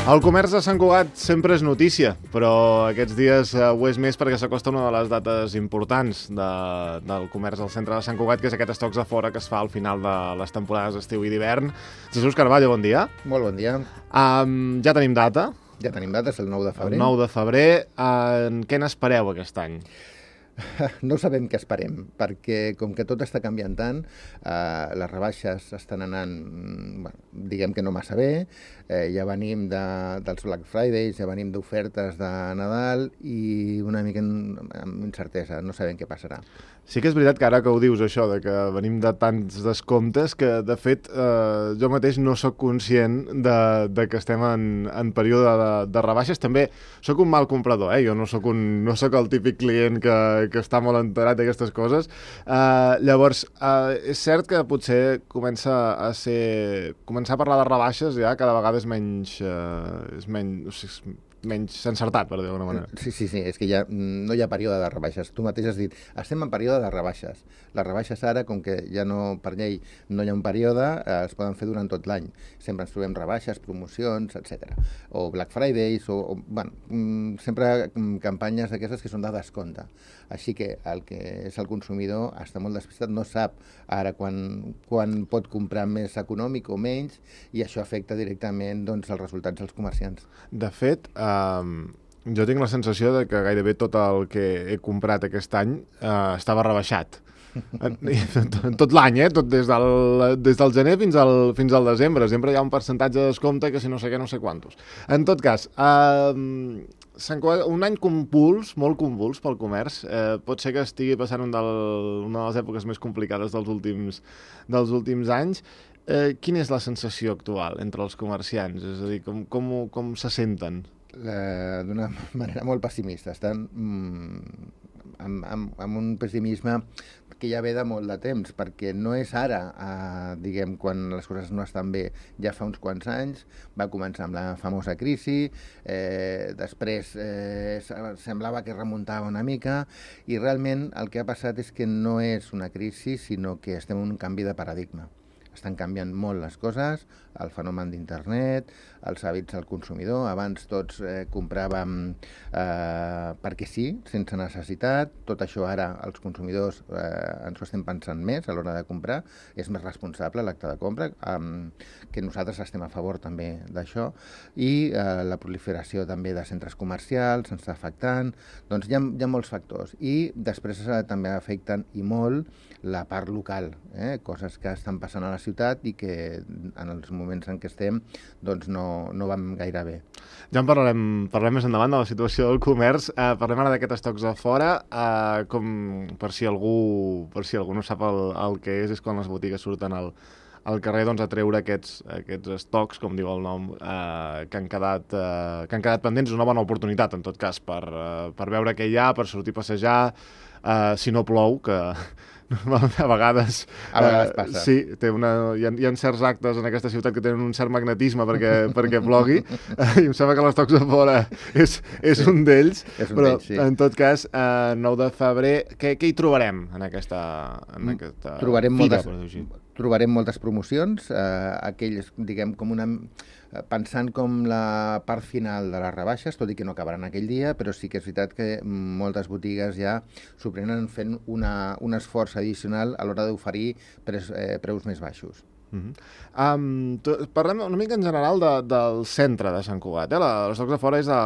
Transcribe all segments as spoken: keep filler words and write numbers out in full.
El comerç de Sant Cugat sempre és notícia, però aquests dies eh, ho és més perquè s'acosta una de les dates importants de, del comerç al centre de Sant Cugat, que és aquest Estocs a Fora que es fa al final de les temporades d'estiu i d'hivern. Jesús Carballo, bon dia. Molt bon dia. Um, ja tenim data. Ja tenim data, és el nou de febrer. El nou de febrer. Uh, en què n'espereu aquest any? No sabem què esperem, perquè com que tot està canviant tant, eh, les rebaixes estan anant, bueno, diguem que no massa bé, eh, ja venim de, dels Black Fridays, ja venim d'ofertes de Nadal i una mica amb incertesa, no sabem què passarà. Sí que és veritat que ara que ho dius, això, de que venim de tants descomptes, que de fet eh, jo mateix no sóc conscient de, de que estem en, en període de, de rebaixes. També sóc un mal comprador, eh? Jo no sóc, un, no sóc el típic client que, que està molt enterat d'aquestes coses. Eh, llavors, eh, és cert que potser comença a ser... Començar a parlar de rebaixes ja cada vegada és menys... Eh, és menys... O sigui, menys encertat, per dir d'alguna manera. Sí, sí, sí, és que ja no hi ha període de rebaixes. Tu mateix has dit, estem en període de rebaixes. Les rebaixes ara, com que ja no, per llei, no hi ha un període, eh, es poden fer durant tot l'any. Sempre ens trobem rebaixes, promocions, etcètera. O Black Fridays, o, o bueno, sempre campanyes d'aquestes que són de descompte. Així que el que és el consumidor està molt despistat, no sap ara quan, quan pot comprar més econòmic o menys, i això afecta directament doncs, els resultats dels comerciants. De fet, eh, Um, jo tinc la sensació de que gairebé tot el que he comprat aquest any uh, estava rebaixat. Tot l'any, eh? Tot des del, des del gener fins al, fins al desembre. Sempre hi ha un percentatge de descompte que si no sé què, no sé quantos. En tot cas, uh, Sant Cugat, un any convuls, molt convuls pel comerç. Uh, pot ser que estigui passant un del, una de les èpoques més complicades dels últims, dels últims anys. Uh, quina és la sensació actual entre els comerciants? És a dir, com, com, com se senten? D'una manera molt pessimista. Estan mm, amb, amb, amb un pessimisme que ja ve de molt de temps, perquè no és ara, eh, diguem, quan les coses no estan bé. Ja fa uns quants anys va començar amb la famosa crisi, eh, després eh, semblava que remuntava una mica, i realment el que ha passat és que no és una crisi, sinó que estem en un canvi de paradigma. Estan canviant molt les coses, el fenomen d'internet, els hàbits del consumidor. Abans tots eh, compràvem eh, perquè sí, sense necessitat. Tot això ara els consumidors eh, ens ho estem pensant més a l'hora de comprar. És més responsable l'acte de compra, eh, que nosaltres estem a favor també d'això. I eh, la proliferació també de centres comercials ens està afectant. Doncs hi ha, hi ha molts factors. I després eh, també afecten i molt la part local, eh? Coses que estan passant a la ciutat i que en els moments en què estem doncs no, no van gaire bé. Ja en parlarem, parlarem més endavant de la situació del comerç. Eh, parlem ara d'aquest estocs a fora. Eh, com, per, si algú, per si algú no sap el, el que és, és quan les botigues surten al, al carrer doncs, a treure aquests, aquests estocs, com diu el nom, eh, que, han quedat, eh, que han quedat pendents. Una bona oportunitat, en tot cas, per, eh, per veure què hi ha, per sortir a passejar, eh, si no plou, que... a vegades, a vegades uh, passa. Sí, té una, hi, ha, hi ha certs actes en aquesta ciutat que tenen un cert magnetisme perquè, perquè plogui, uh, i em sembla que l'Estocs a Fora és, és sí, un d'ells, però sí. En tot cas, uh, nou de febrer, què, què hi trobarem en aquesta, en aquesta trobarem fira, moltes, per dir-ho així? Trobarem moltes promocions, eh, aquells, diguem, com una... pensant com la part final de les rebaixes, tot i que no acabaran aquell dia, però sí que és veritat que moltes botigues ja s'ho prenen fent una, un esforç addicional a l'hora d'oferir preus, eh, preus més baixos. Uh-huh. um, to, parlem una mica en general de, del centre de Sant Cugat. Eh? L'Estocs de Fora és a,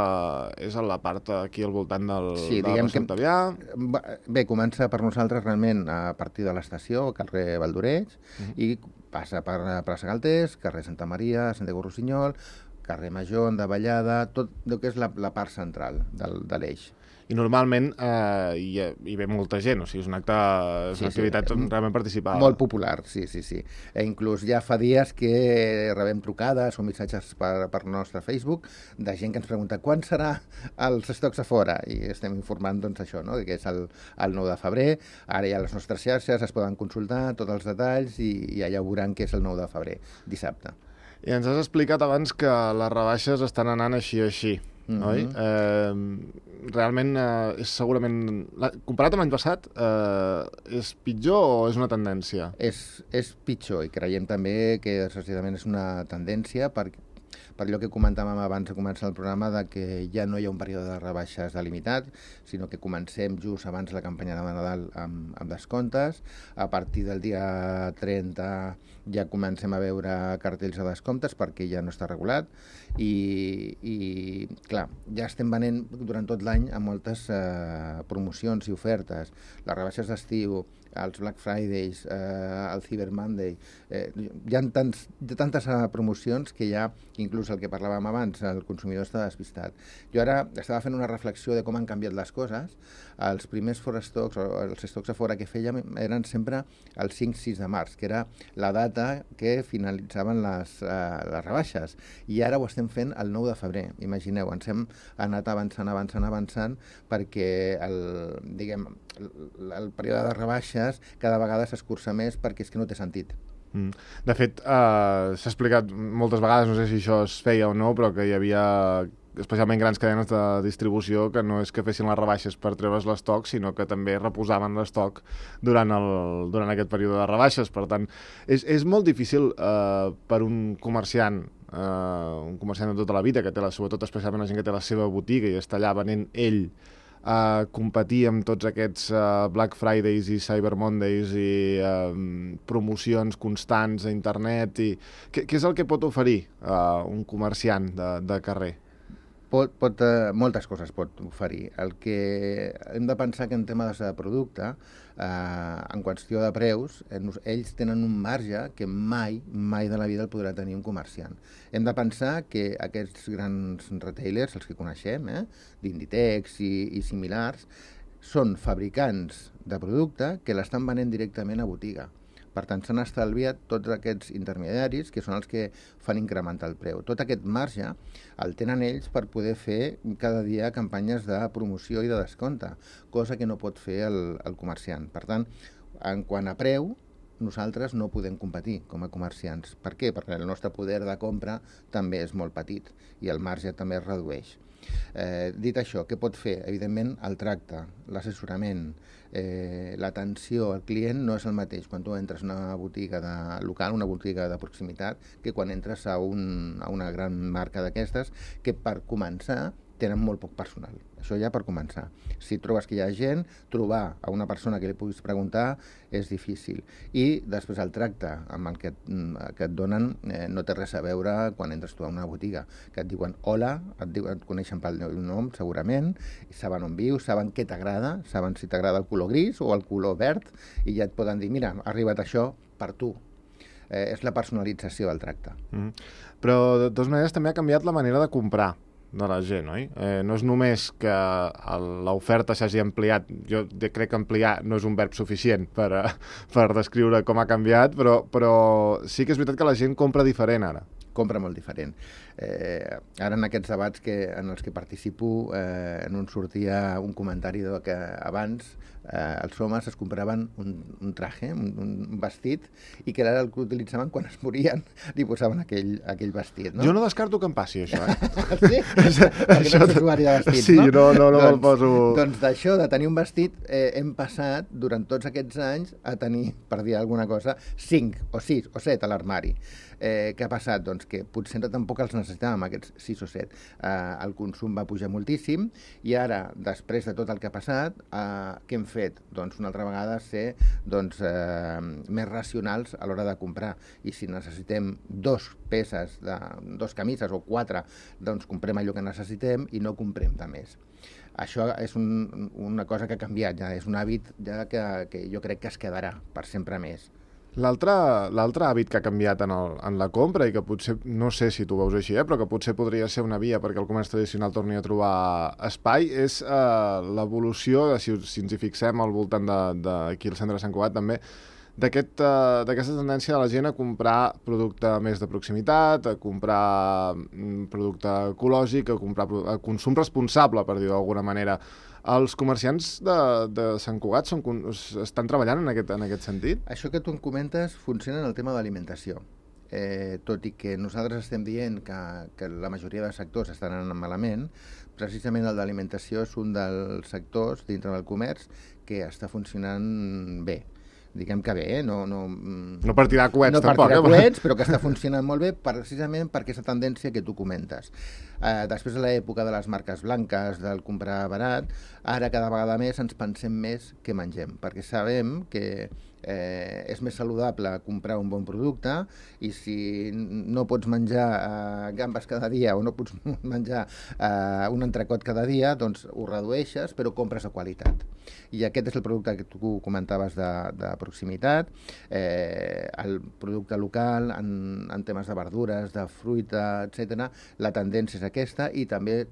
és a la part aquí al voltant del, sí, de la plaça Octavià. Bé, comença per nosaltres realment a partir de l'estació, carrer Valdoreig, uh-huh. i passa per plaça Galtés, carrer Santa Maria, Santiago Rossinyol, carrer Major, de Vallada, tot el que és la, la part central del, de l'eix. I normalment eh, hi, hi ve molta gent, o sigui, és una, acte, és una sí, activitat sí, realment participada. Molt popular, sí, sí, sí. E inclús ja fa dies que rebem trucades o missatges per, per nostre Facebook de gent que ens pregunta quan serà els estocs a fora, i estem informant doncs això, no? Que és el, el nou de febrer, ara ja les nostres xarxes es poden consultar tots els detalls i, i allà veuran que és el nou de febrer, dissabte. I ens has explicat abans que les rebaixes estan anant així així. Mm-hmm. Oi? Eh, realment eh, és segurament, la, comparat amb l'any passat, eh, és pitjor o és una tendència? És, és pitjor, i creiem també que desgraciadament és una tendència perquè per allò que comentàvem abans de començar el programa, de que ja no hi ha un període de rebaixes delimitat, sinó que comencem just abans de la campanya de Nadal amb, amb descomptes. A partir del dia trenta ja comencem a veure cartells de descomptes perquè ja no està regulat i, i clar, ja estem venent durant tot l'any a moltes eh, promocions i ofertes, les rebaixes d'estiu, els Black Fridays, eh, el Cyber Monday, eh, hi ha tants, tantes uh, promocions que ja, inclús el que parlàvem abans, el consumidor està despistat. Jo ara estava fent una reflexió de com han canviat les coses. Els primers fora stocks, o els stocks a fora que fèiem, eren sempre el cinc sis de març, que era la data que finalitzaven les, uh, les rebaixes, i ara ho estem fent el nou de febrer. Imagineu, ens hem anat avançant, avançant, avançant, perquè el, diguem, el, el període de rebaixes cada vegada s'escurça més perquè és que no té sentit. Mm. De fet, eh, s'ha explicat moltes vegades, no sé si això es feia o no, però que hi havia especialment grans cadenes de distribució que no és que fessin les rebaixes per treure's l'estoc, sinó que també reposaven l'estoc durant, el, durant aquest període de rebaixes. Per tant, és, és molt difícil eh, per un comerciant, eh, un comerciant de tota la vida, que té la, sobretot especialment la gent que té la seva botiga i està allà venent ell, a uh, competir amb tots aquests uh, Black Fridays i Cyber Mondays i uh, promocions constants a internet. I... Què, què és el que pot oferir uh, un comerciant de, de carrer? Pot, pot, eh, moltes coses pot oferir. El que hem de pensar que en temes de producte, eh, en qüestió de preus, eh, ells tenen un marge que mai, mai de la vida el podrà tenir un comerciant. Hem de pensar que aquests grans retailers, els que coneixem, eh, d'Inditex i, i similars, són fabricants de producte que l'estan venent directament a botiga. Per tant, s'han estalviat tots aquests intermediaris que són els que fan incrementar el preu. Tot aquest marge el tenen ells per poder fer cada dia campanyes de promoció i de descompte, cosa que no pot fer el, el comerciant. Per tant, en quant a preu, nosaltres no podem competir com a comerciants. Per què? Perquè el nostre poder de compra també és molt petit i el marge també es redueix. Eh, dit això, què pot fer? Evidentment, el tracte, l'assessorament, eh, l'atenció al client no és el mateix quan tu entres a una botiga de local, una botiga de proximitat, que quan entres a, un, a una gran marca d'aquestes, que per començar tenen molt poc personal. Això ja per començar. Si trobes que hi ha gent, trobar a una persona que li puguis preguntar és difícil. I després el tracte amb el que, que et donen eh, no té res a veure quan entres tu a una botiga. Que et diuen hola, et, diuen, et coneixen pel nom, segurament, i saben on vius, saben què t'agrada, saben si t'agrada el color gris o el color verd, i ja et poden dir, mira, ha arribat això per tu. Eh, és la personalització del tracte. Mm. Però, de totes maneres, també ha canviat la manera de comprar de la gent, oi? Eh, no és només que l'oferta s'hagi ampliat, jo crec que ampliar no és un verb suficient per, per descriure com ha canviat, però, però sí que és veritat que la gent compra diferent ara. Compra molt diferent. Eh, ara en aquests debats que, en els que participo, eh, en un sortia un comentari de que abans eh, els homes es compraven un, un traje, un, un vestit, i que ara el que utilitzaven quan es morien li posaven aquell, aquell vestit. No? Jo no descarto que em passi això, eh? Sí? Perquè no ets usuari de vestits, sí, no? no, no, no doncs, me'l poso... Doncs d'això, de tenir un vestit, eh, hem passat durant tots aquests anys a tenir, per dir alguna cosa, cinc o sis o set a l'armari. Eh, què ha passat? Doncs que potser tampoc els necessitàvem, aquests sis o set. Eh, el consum va pujar moltíssim i ara, després de tot el que ha passat, eh, què hem fet? Doncs una altra vegada ser doncs, eh, més racionals a l'hora de comprar. I si necessitem dos peces, de, dos camises o quatre, doncs comprem allò que necessitem i no comprem de més. Això és un, una cosa que ha canviat, ja és un hàbit ja que, que jo crec que es quedarà per sempre més. L'altre hàbit que ha canviat en, el, en la compra i que potser, no sé si tu ho veus així, eh, però que potser podria ser una via perquè el comerç tradicional torni a trobar espai, és eh, l'evolució, si, si ens hi fixem al voltant d'aquí al centre de Sant Cugat també, d'aquesta aquest, uh, tendència de la gent a comprar producte més de proximitat, a comprar mm, producte ecològic, a comprar a consum responsable, per dir-ho d'alguna manera. Els comerciants de, de Sant Cugat són, estan treballant en aquest, en aquest sentit? Això que tu em comentes funciona en el tema de l'alimentació. Eh, tot i que nosaltres estem dient que, que la majoria de sectors estan anant malament, precisament el d'alimentació és un dels sectors dintre del comerç que està funcionant bé. diguem que bé, eh? no, no, no per tirar coets no tampoc. No per tirar eh? coets, però que està funcionant molt bé precisament per aquesta tendència que tu comentes. Eh, després de l'època de les marques blanques, del comprar barat, ara cada vegada més ens pensem més què mengem, perquè sabem que eh, és més saludable comprar un bon producte i si no pots menjar eh, gambes cada dia o no pots menjar eh, un entrecot cada dia, doncs ho redueixes però compres de qualitat. I aquest és el producte que tu comentaves de, de proximitat, eh, el producte local en, en temes de verdures, de fruita, etcètera. La tendència és aquesta i també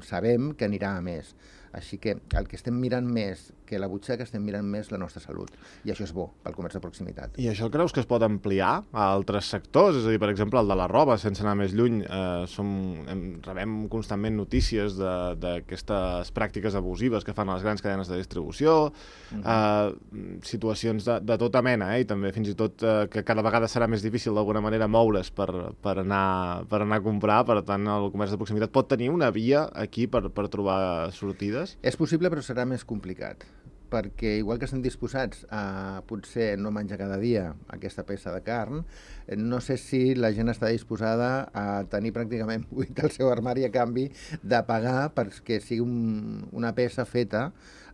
sabem que anirà a més. Així que el que estem mirant més que la butxaca, estem mirant més la nostra salut. I això és bo pel comerç de proximitat. I això creus que es pot ampliar a altres sectors? És a dir, per exemple, el de la roba, sense anar més lluny, eh, som, em, rebem constantment notícies d'aquestes pràctiques abusives que fan les grans cadenes de distribució, mm-hmm. eh, situacions de, de tota mena, eh, i també fins i tot eh, que cada vegada serà més difícil d'alguna manera moure's per, per, anar, per anar a comprar, per tant el comerç de proximitat pot tenir una via aquí per, per trobar sortides? És possible, però serà més complicat, perquè igual que estem disposats a potser no menjar cada dia aquesta peça de carn, no sé si la gent està disposada a tenir pràcticament buit el seu armari a canvi de pagar perquè sigui un, una peça feta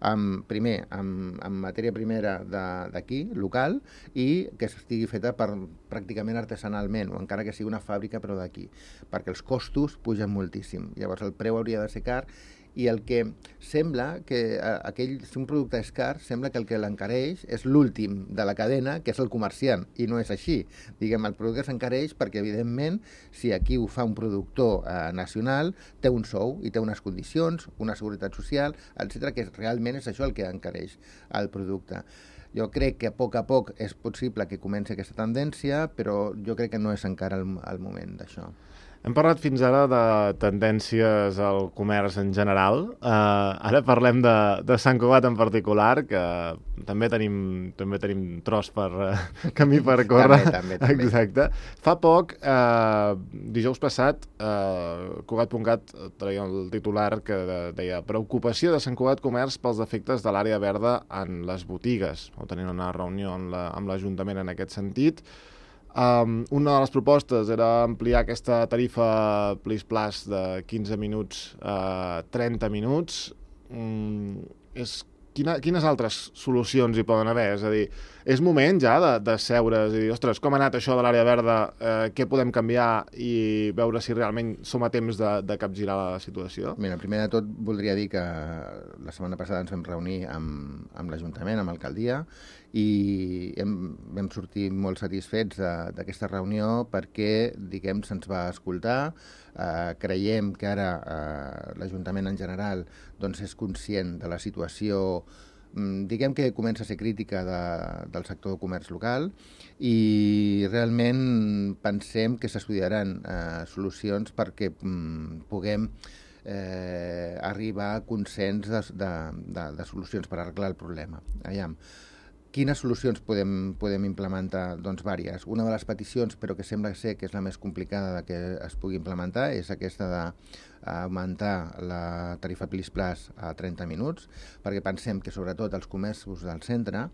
amb, primer, amb, amb matèria primera d'aquí, local, i que estigui feta per, pràcticament artesanalment, o encara que sigui una fàbrica però d'aquí, perquè els costos pugen moltíssim. Llavors el preu hauria de ser car i el que sembla que aquell, si un producte és car, sembla que el que l'encareix és l'últim de la cadena, que és el comerciant, i no és així. Diguem, el producte s'encareix perquè, evidentment, si aquí ho fa un productor eh, nacional, té un sou i té unes condicions, una seguretat social, etcètera, que realment és això el que encareix el producte. Jo crec que a poc a poc és possible que comenci aquesta tendència, però jo crec que no és encara el, el moment d'això. Hem parlat fins ara de tendències al comerç en general. Uh, ara parlem de, de Sant Cugat en particular, que també tenim, també tenim tros per uh, camí per córrer. també, també, també. Exacte. Fa poc, uh, dijous passat, uh, Cugat punt cat traia el titular que deia preocupació de Sant Cugat Comerç pels efectes de l'àrea verda en les botigues. O tenint una reunió amb l'Ajuntament en aquest sentit. Um, una de les propostes era ampliar aquesta tarifa Plis Plus de quinze minuts a trenta minuts. Mm, és, quina, quines altres solucions hi poden haver? És a dir, és moment ja de, de seure's i dir, ostres, com ha anat això de l'àrea verda, eh, què podem canviar i veure si realment som a temps de, de capgirar la situació? Mira, primer de tot voldria dir que la setmana passada ens vam reunir amb, amb l'Ajuntament, amb l'alcaldia, i hem, vam sortir molt satisfets d'aquesta reunió perquè, diguem, se'ns va escoltar. Eh, creiem que ara eh, l'Ajuntament en general doncs, és conscient de la situació, diguem que comença a ser crítica de, del sector de comerç local i realment pensem que s'estudiaran eh, solucions perquè mm, puguem eh, arribar a consens de, de, de, de solucions per arreglar el problema. Aviam. Quines solucions podem, podem implementar? Doncs vàries. Una de les peticions, però que sembla ser que és la més complicada de que es pugui implementar, és aquesta d'augmentar la tarifa Plis Plus a trenta minuts, perquè pensem que sobretot els comerços del centre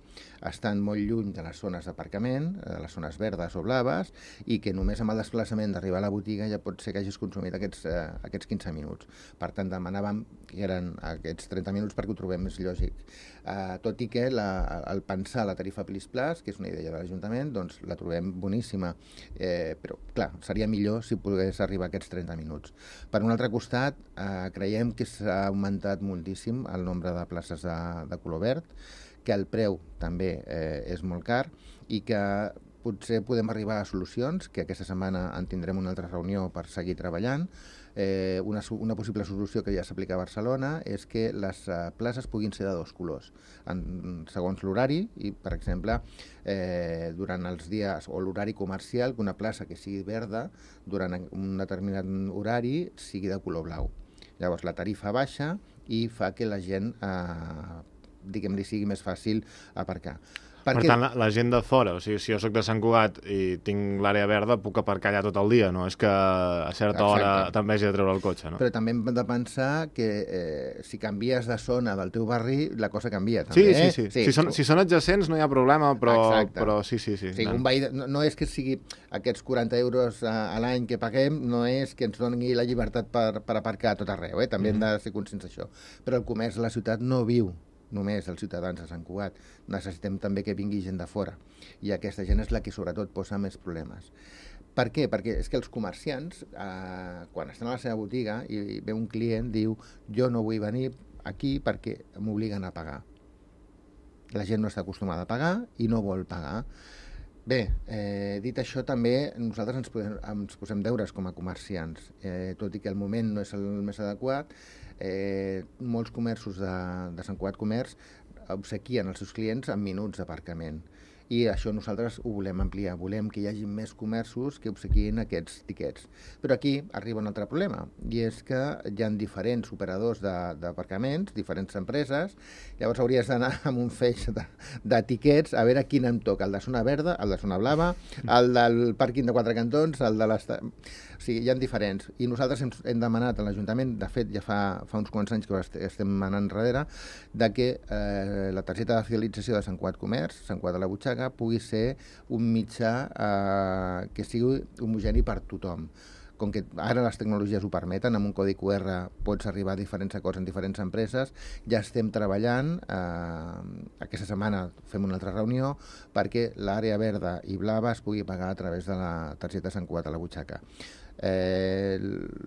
estan molt lluny de les zones d'aparcament, de les zones verdes o blaves, i que només amb el desplaçament d'arribar a la botiga ja pot ser que hagis consumit aquests, eh, aquests quinze minuts. Per tant, demanàvem que eren aquests trenta minuts perquè ho trobem més lògic. Eh, tot i que la, el pensar la tarifa Plis Plus, que és una idea de l'Ajuntament, doncs la trobem boníssima, eh, però clar, seria millor si pogués arribar a aquests trenta minuts. Per un altre costat, eh, creiem que s'ha augmentat moltíssim el nombre de places de, de color verd, que el preu també eh, és molt car i que potser podem arribar a solucions, que aquesta setmana en tindrem una altra reunió per seguir treballant. Eh, una, una possible solució que ja s'aplica a Barcelona és que les uh, places puguin ser de dos colors, en, segons l'horari, i per exemple, eh, durant els dies o l'horari comercial, que una plaça que sigui verda durant un determinat horari sigui de color blau. Llavors la tarifa baixa i fa que la gent, eh, diguem-li, sigui més fàcil aparcar. Per tant, la, la gent de fora, o sigui, si jo sóc de Sant Cugat i tinc l'àrea verda, puc aparcar allà tot el dia, no? És que a certa Exacte. hora també hagi de treure el cotxe, no? Però també hem de pensar que eh, si canvies de zona del teu barri, la cosa canvia, també. Sí, eh? sí, sí. sí. Si, són, si són adjacents no hi ha problema, però, però sí, sí, sí. O sigui, un veí de, no, no és que sigui aquests quaranta euros a, a l'any que paguem, no és que ens doni la llibertat per, per aparcar a tot arreu, eh? També mm -hmm. hem de ser conscients d'això. Però el comerç a la ciutat no viu només els ciutadans de Sant Cugat. Necessitem també que vingui gent de fora. I aquesta gent és la que sobretot posa més problemes. Per què? Perquè és que els comerciants, eh, quan estan a la seva botiga i ve un client, diu jo no vull venir aquí perquè m'obliguen a pagar. La gent no està acostumada a pagar i no vol pagar. Bé, eh, dit això, també nosaltres ens, podem, ens posem deures com a comerciants. Eh, tot i que el moment no és el més adequat, eh, molts comerços de, de Sant Cugat Comerç obsequien els seus clients amb minuts d'aparcament. I això nosaltres ho volem ampliar. Volem que hi hagi més comerços que obsequien aquests tiquets. Però aquí arriba un altre problema, i és que hi ha diferents operadors d'aparcaments, diferents empreses, llavors hauries d'anar amb un feix de, de tiquets a veure quin em toca, el de zona verda, el de zona blava, el del pàrquing de Quatre Cantons, el de l'esta... O sigui, hi ha diferents. I nosaltres hem, hem demanat a l'Ajuntament, de fet ja fa, fa uns quants anys que estem anant enrere, de que eh, la targeta de fidelització de Sant Cugat Comerç, Sant Cugat de la Butxaca, pugui ser un mitjà eh, que sigui homogeni per tothom. Com que ara les tecnologies ho permeten, amb un codi Q R pots arribar a diferents acords en diferents empreses, ja estem treballant, eh, aquesta setmana fem una altra reunió, perquè l'àrea verda i blava es pugui pagar a través de la targeta Sant Cugat a la Butxaca. Eh,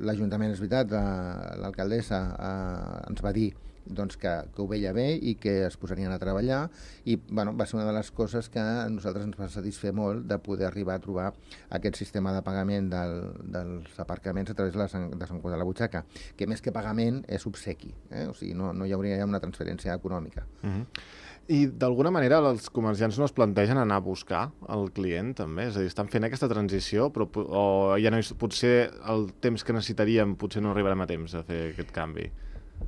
L'Ajuntament, és veritat, l'alcaldessa eh, ens va dir doncs que, que ho veia bé i que es posarien a treballar, i bueno, va ser una de les coses que a nosaltres ens va satisfer molt, de poder arribar a trobar aquest sistema de pagament del, dels aparcaments a través de, la, de Sant Cugat de la Butxaca, que més que pagament és obsequi, eh? O sigui, no, no hi hauria una transferència econòmica. Uh-huh. I d'alguna manera els comerciants no es plantegen anar a buscar el client també? És a dir, estan fent aquesta transició, però o ja no és, potser el temps que necessitaríem potser no arribarem a temps a fer aquest canvi?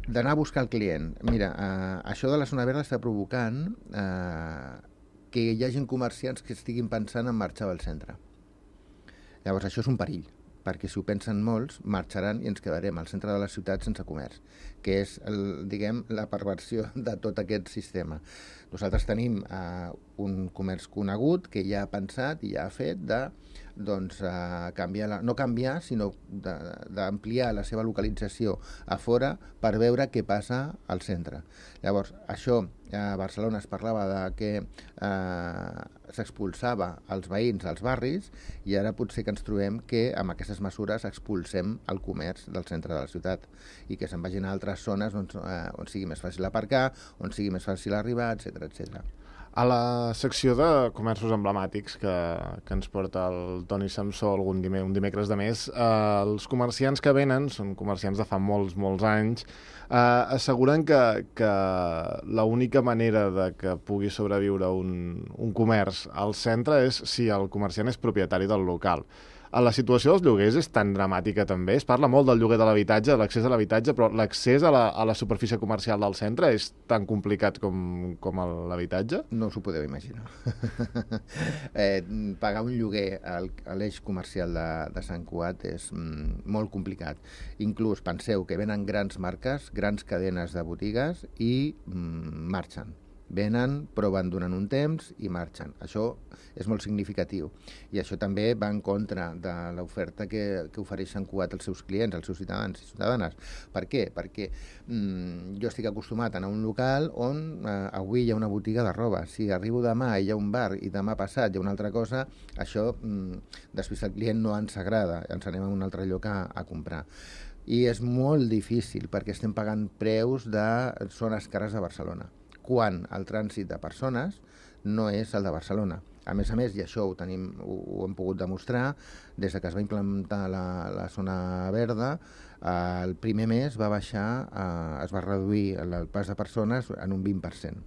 D'anar a buscar el client. Mira, eh, això de la zona verda està provocant eh, que hi hagi comerciants que estiguin pensant en marxar del centre. Llavors, això és un perill, perquè si ho pensen molts, marxaran i ens quedarem al centre de la ciutat sense comerç, que és, el, diguem, la perversió de tot aquest sistema. Nosaltres tenim eh, un comerç conegut que ja ha pensat i ja ha fet de doncs, eh, canviar la, no canviar, sinó d'ampliar la seva localització a fora per veure què passa al centre. Llavors, això, a Barcelona es parlava de que eh, s'expulsava els veïns als barris, i ara potser que ens trobem que amb aquestes mesures expulsem el comerç del centre de la ciutat i que se'n vagin a altres zones on, eh, on sigui més fàcil aparcar, on sigui més fàcil arribar, etcètera, etcètera. A la secció de comerços emblemàtics que, que ens porta el Toni Samsó algun dimecres, un dimecres de mes, eh, els comerciants que venen, són comerciants de fa molts, molts anys, eh, asseguren que, que l'única manera de que pugui sobreviure un, un comerç al centre és si el comerciant és propietari del local. La situació dels lloguers és tan dramàtica també. Es parla molt del lloguer de l'habitatge, de l'accés a l'habitatge, però l'accés a, la, a la superfície comercial del centre és tan complicat com, com l'habitatge? No us ho podeu imaginar. eh, pagar un lloguer a l'eix comercial de, de Sant Cugat és mm, molt complicat. Inclús penseu que venen grans marques, grans cadenes de botigues i mm, marxen. Venen, proven durant un temps i marxen. Això és molt significatiu. I això també va en contra de l'oferta que, que ofereix Sant Cugat als seus clients, als seus ciutadans i ciutadanes. Per què? Perquè mm, jo estic acostumat a anar a un local on eh, avui hi ha una botiga de roba. Si arribo demà i hi ha un bar i demà passat hi ha una altra cosa, això mm, després el client no ens agrada, ens anem a un altre lloc a, a comprar. I és molt difícil perquè estem pagant preus de zones cares de Barcelona, quan el trànsit de persones no és el de Barcelona. A més a més, i això ho, tenim, ho, ho hem pogut demostrar, des de que es va implementar la, la zona verda, eh, el primer mes va baixar, eh, es va reduir el pas de persones en un vint per cent.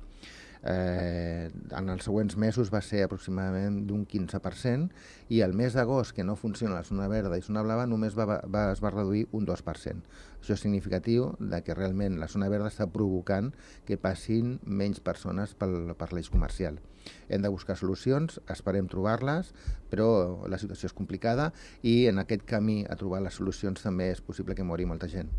Eh, en els següents mesos va ser aproximadament d'un quinze per cent, i el mes d'agost, que no funciona la zona verda i zona blava, només va, va, es va reduir un dos per cent. O Això és significatiu de que realment la zona verda està provocant que passin menys persones pel, per l'eix comercial. Hem de buscar solucions, esperem trobar-les, però la situació és complicada i en aquest camí a trobar les solucions també és possible que mori molta gent.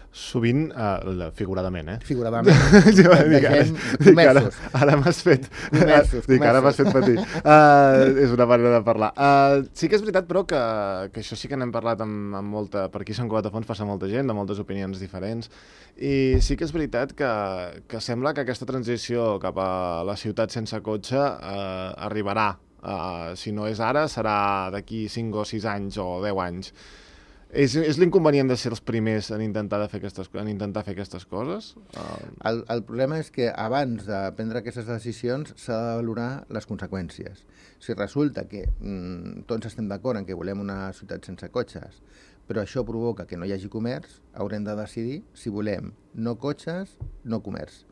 Sovint, uh, figuradament, eh? Figuradament. Sí, va, dic, ara, dic, ara, ara m'has fet... Comerços, dic, ara m'has fet patir. Uh, és una manera de parlar. Uh, sí que és veritat, però, que, que això sí que n'hem parlat amb, amb molta... Per aquí a Sant Cugat de Fons passa molta gent, de moltes opinions diferents, i sí que és veritat que, que sembla que aquesta transició cap a la ciutat sense cotxe uh, arribarà. Uh, si no és ara, serà d'aquí cinc o sis anys o deu anys. És, és l'inconvenient de ser els primers en intentar, de fer, aquestes, en intentar fer aquestes coses? Uh... El, el problema és que abans de prendre aquestes decisions s'ha de valorar les conseqüències. Si resulta que mm, tots estem d'acord en que volem una ciutat sense cotxes, però això provoca que no hi hagi comerç, haurem de decidir si volem no cotxes, no comerç.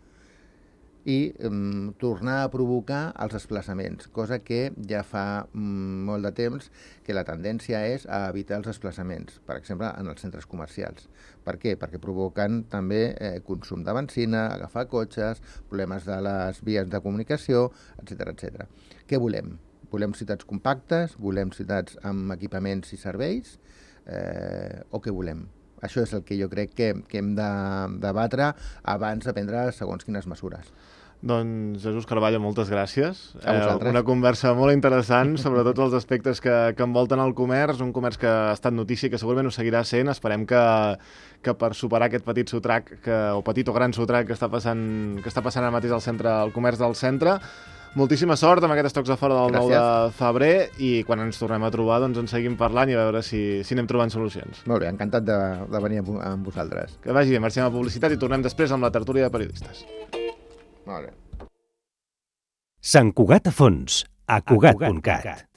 I um, tornar a provocar els desplaçaments, cosa que ja fa um, molt de temps que la tendència és a evitar els desplaçaments, per exemple, en els centres comercials. Per què? Perquè provoquen també eh, consum de benzina, agafar cotxes, problemes de les vies de comunicació, etcètera etcètera. Què volem? Volem ciutats compactes? Volem ciutats amb equipaments i serveis? Eh, o què volem? Això és el que jo crec que, que hem de debatre abans de prendre segons quines mesures. Doncs, Jesús Carballo, moltes gràcies. A vosaltres. Eh, una conversa molt interessant sobre tots els aspectes que, que envolten el comerç, un comerç que ha estat notícia i que segurament ho seguirà sent. Esperem que, que per superar aquest petit sotrac, que, o petit o gran sotrac que està passant, que està passant ara mateix al centre, al comerç del centre, moltíssima sort amb aquests tocs de fora del nou de febrer i quan ens tornem a trobar doncs en seguim parlant i a veure si, si anem trobant solucions. Molt bé, encantat de, de venir amb vosaltres. Que vagi bé, marxem a publicitat i tornem després amb la tertúlia de periodistes. Molt bé. Sant Cugat a Fons, a cugat punt cat.